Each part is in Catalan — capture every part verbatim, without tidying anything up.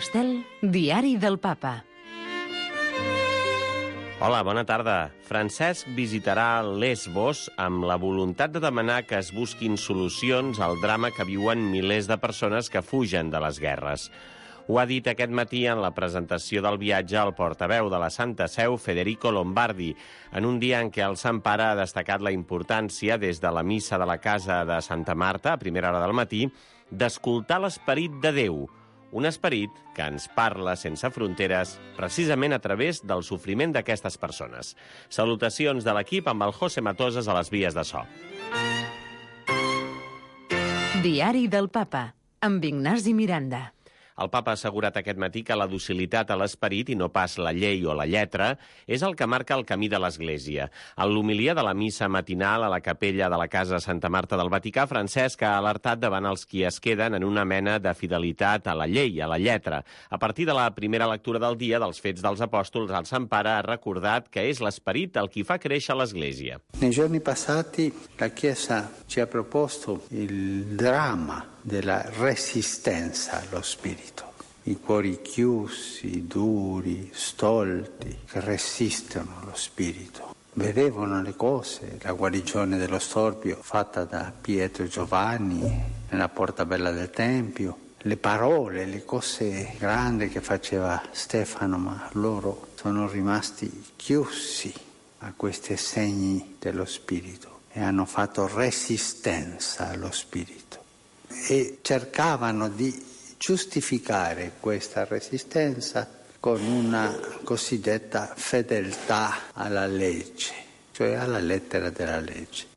Estel, Diari del Papa. Hola, bona tarda. Francesc visitarà Lesbos amb la voluntat de demanar que es busquin solucions al drama que viuen milers de persones que fugen de les guerres. Ho ha dit aquest matí en la presentació del viatge al portaveu de la Santa Seu, Federico Lombardi, en un dia en què el Sant Pare ha destacat la importància, des de la missa de la casa de Santa Marta, a primera hora del matí, d'escoltar l'esperit de Déu, un esperit que ens parla sense fronteres precisament a través del sofriment d'aquestes persones. Salutacions de l'equip amb el José Matoses a les vies de so. Diari del Papa, amb Ignasi Miranda. El papa ha assegurat aquest matí que la docilitat a l'esperit, i no pas la llei o la lletra, és el que marca el camí de l'Església. En l'homilia de la missa matinal a la capella de la Casa Santa Marta del Vaticà, Francesc ha alertat davant els qui es queden en una mena de fidelitat a la llei, a la lletra. A partir de la primera lectura del dia dels Fets dels Apòstols, el Sant Pare ha recordat que és l'esperit el qui fa créixer l'Església. Nei giorni passati la Chiesa ci ha proposto il dramma della resistenza allo spirito. I cuori chiusi, duri, stolti, che resistono allo spirito. Vedevano le cose, la guarigione dello storpio fatta da Pietro e Giovanni nella porta bella del Tempio, le parole, le cose grandi che faceva Stefano, ma loro sono rimasti chiusi a questi segni dello spirito e hanno fatto resistenza allo spirito. E cercavano di giustificare questa resistenza con una cosiddetta fedeltà alla legge, cioè alla lettera della legge.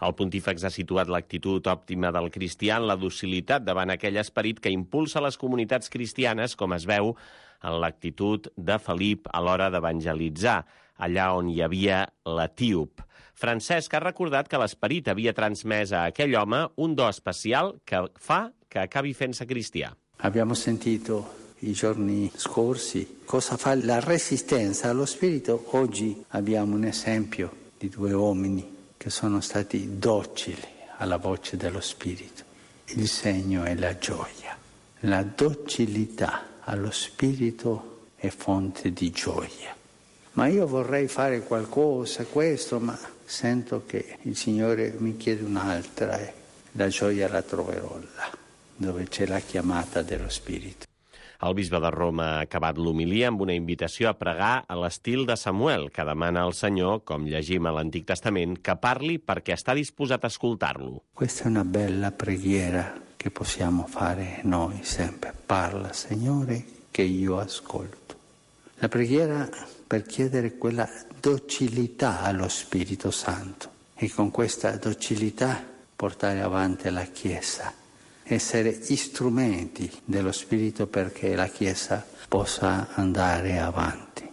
El pontífex ha situat l'actitud òptima del cristià en la docilitat davant aquell esperit que impulsa les comunitats cristianes, com es veu en l'actitud de Felip a l'hora d'evangelitzar, allà on hi havia l'etíop. Francesc ha recordat que l'esperit havia transmès a aquell home un do especial que fa que acabi fent-se cristià. Abbiamo sentito i giorni scorsi cosa fa la resistenza allo spirito. Oggi abbiamo un esempio di due uomini che sono stati docili alla voce dello spirito. Il segno è la gioia. La docilità allo spirito è fonte di gioia. Ma io vorrei fare qualcosa, questo, ma sento che il Signore mi chiede un'altra e la gioia la troverò là, dove c'è la chiamata dello Spirito. El bisbe de Roma ha acabat l'homilia amb una invitació a pregar a l'estil de Samuel, que demana al Senyor, com llegim a l'Antic Testament, que parli perquè està disposat a escoltar-lo. Questa è una bella preghiera che possiamo fare noi sempre. Parla, Signore, che io ascolto. La preghiera per chiedere quella docilità allo Spirito Santo e con questa docilità portare avanti la Chiesa, essere strumenti dello Spirito perché la Chiesa possa andare avanti.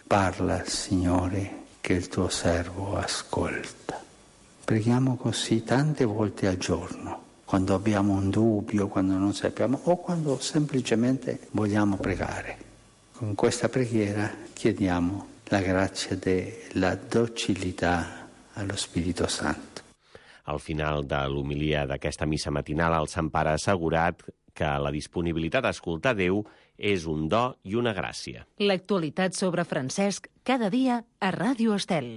Parla, Signore, che il tuo servo ascolta. Preghiamo così tante volte al giorno, quando abbiamo un dubbio, quando non sappiamo o quando semplicemente vogliamo pregare. Con questa preghiera chiediamo la grazia della docilità allo Spirito Santo. Al final de l'homilia d'aquesta missa matinal, el Sant Pare ha assegurat que la disponibilitat a escoltar Déu és un do i una gràcia. L'actualitat sobre Francesc cada dia a Ràdio Estel.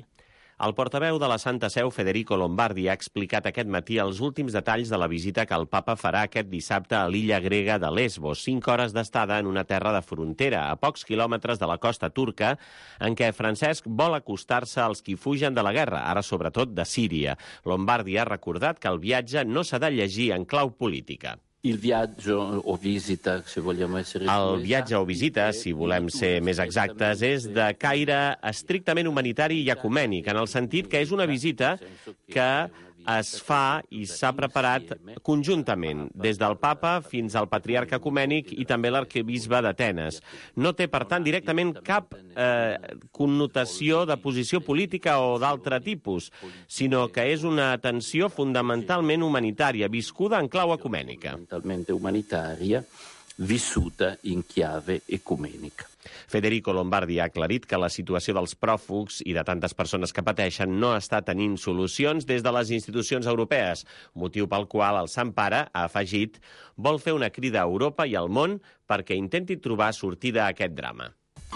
El portaveu de la Santa Seu, Federico Lombardi, ha explicat aquest matí els últims detalls de la visita que el papa farà aquest dissabte a l'illa grega de Lesbos, cinc hores d'estada en una terra de frontera, a pocs quilòmetres de la costa turca, en què Francesc vol acostar-se als qui fugen de la guerra, ara sobretot de Síria. Lombardi ha recordat que el viatge no s'ha de llegir en clau política. Il viaggio o visita, se vogliamo essere El viatge o visita, si volem ser més exactes, és de caire estrictament humanitari i ecumènic, en el sentit que és una visita que es fa i s'ha preparat conjuntament, des del papa fins al patriarca ecumènic i també l'arquebisbe d'Atenes. No té, per tant, directament cap eh, connotació de posició política o d'altre tipus, sinó que és una atenció fundamentalment humanitària, viscuda en clau ecumènica. Fundamentalmente humanitaria, vissuta in chiave ecumenica. Federico Lombardi ha aclarit que la situació dels pròfugs i de tantes persones que pateixen no està tenint solucions des de les institucions europees, motiu pel qual el Sant Pare, ha afegit, vol fer una crida a Europa i al món perquè intenti trobar sortida a aquest drama.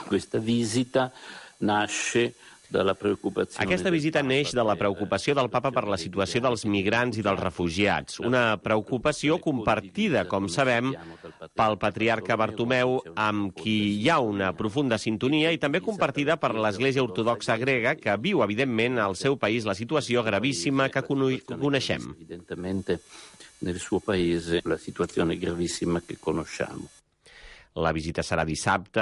Questa visita nasce dalla preoccupazione. Aquesta visita neix de la preocupació del papa per la situació dels migrants i dels refugiats, una preocupació compartida, com sabem, pel patriarca Bartomeu, amb qui hi ha una profunda sintonia, i també compartida per l'Església Ortodoxa grega, que viu, evidentment, al seu país la situació gravíssima que coneixem. Evidentemente, nel suo paese la situazione gravissima che conosciamo. La visita serà dissabte.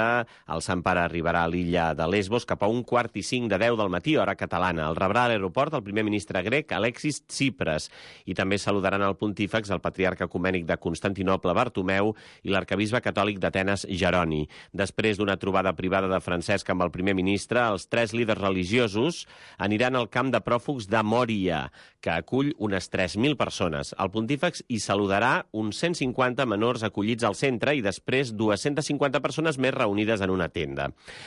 El Sant Pare arribarà a l'illa de Lesbos cap a un quart i cinc de deu del matí, hora catalana. El rebrà a l'aeroport el primer ministre grec, Alexis Tsipras, i també saludaran el pontífex, el patriarca ecumènic de Constantinoble, Bartomeu, i l'arquebisbe catòlic d'Atenes, Jeroni. Després d'una trobada privada de Francesc amb el primer ministre, els tres líders religiosos aniran al camp de pròfugs de Mòria, que acull unes tres mil persones. El pontífex hi saludarà uns cent cinquanta menors acollits al centre i després dues-centes cinquanta persones més reunides en una tenda.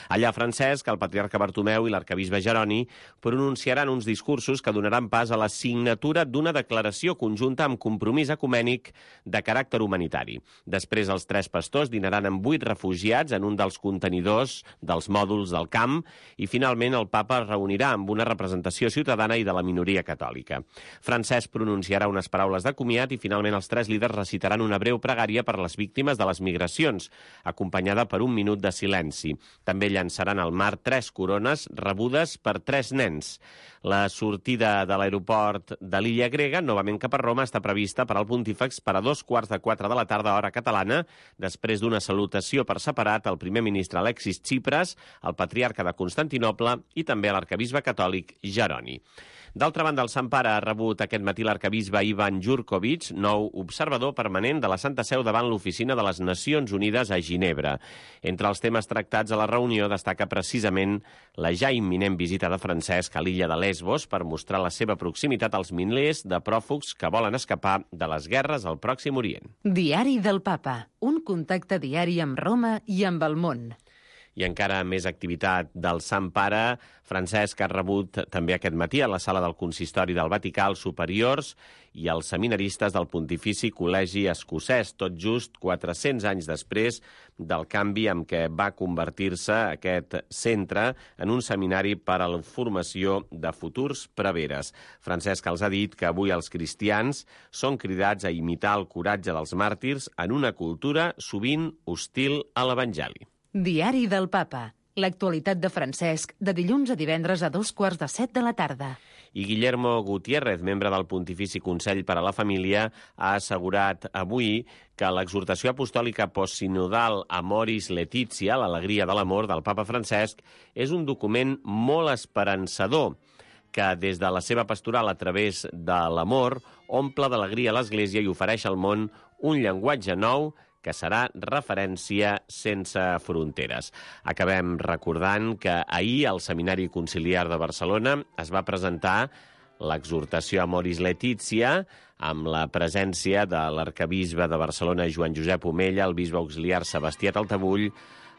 Allà Francesc, el patriarca Bartomeu i l'arquebisbe Jeroni pronunciaran uns discursos que donaran pas a la signatura d'una declaració conjunta amb compromís ecumènic de caràcter humanitari. Després els tres pastors dinaran amb vuit refugiats en un dels contenidors dels mòduls del camp i finalment el papa es reunirà amb una representació ciutadana i de la minoria catòlica. Francesc pronunciarà unes paraules de comiat i finalment els tres líders recitaran una breu pregària per les víctimes de les migracions, acompanyada per un minut de silenci. També llançaran al mar tres corones rebudes per tres nens. La sortida de l'aeroport de l'illa grega, novament cap a Roma, està prevista per al pontífex per a dos quarts de quatre de la tarda, hora catalana, després d'una salutació per separat al primer ministre Alexis Tsipras, al patriarca de Constantinoble i també a l'arquebisbe catòlic Jeroni. D'altra banda, el Sant Pare ha rebut aquest matí l'arquebisbe Ivan Jurkovic, nou observador permanent de la Santa Seu davant l'Oficina de les Nacions Unides a Ginebra. Entre els temes tractats a la reunió destaca precisament la ja imminent visita de Francesc a l'illa de Lesbos per mostrar la seva proximitat als milers de pròfugs que volen escapar de les guerres al Pròxim Orient. Diari del Papa, un contacte diari amb Roma i amb el món. I encara més activitat del Sant Pare. Francesc ha rebut també aquest matí a la sala del Consistori del Vaticà els superiors i els seminaristes del Pontifici Col·legi Escocès, tot just quatre-cents anys després del canvi en què va convertir-se aquest centre en un seminari per a la formació de futurs preveres. Francesc els ha dit que avui els cristians són cridats a imitar el coratge dels màrtirs en una cultura sovint hostil a l'Evangeli. Diari del Papa. L'actualitat de Francesc, de dilluns a divendres a dos quarts de set de la tarda. I Guillermo Gutiérrez, membre del Pontifici Consell per a la Família, ha assegurat avui que l'exhortació apostòlica postsinodal Amoris Laetitia, l'alegria de l'amor del papa Francesc, és un document molt esperançador, que des de la seva pastoral a través de l'amor omple d'alegria l'Església i ofereix al món un llenguatge nou que serà referència sense fronteres. Acabem recordant que ahir al Seminari Conciliar de Barcelona es va presentar l'exhortació Amoris Laetitia amb la presència de l'arquebisbe de Barcelona, Joan Josep Omella, el bisbe auxiliar Sebastià Taltabull,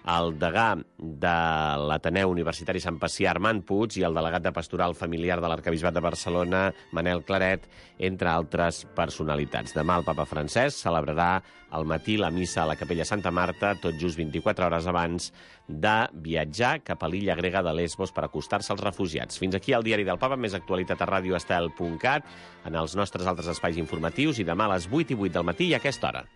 el degà de l'Ateneu Universitari Sant Pacià, Armand Puig, i el delegat de Pastoral Familiar de l'Arquebisbat de Barcelona, Manel Claret, entre altres personalitats. Demà el papa Francesc celebrarà al matí la missa a la Capella Santa Marta, tot just vint-i-quatre hores abans de viatjar cap a l'illa grega de Lesbos per acostar-se als refugiats. Fins aquí el Diari del Papa, més actualitat a radio estel punt cat, en els nostres altres espais informatius, i demà a les vuit i vuit del matí i a aquesta hora.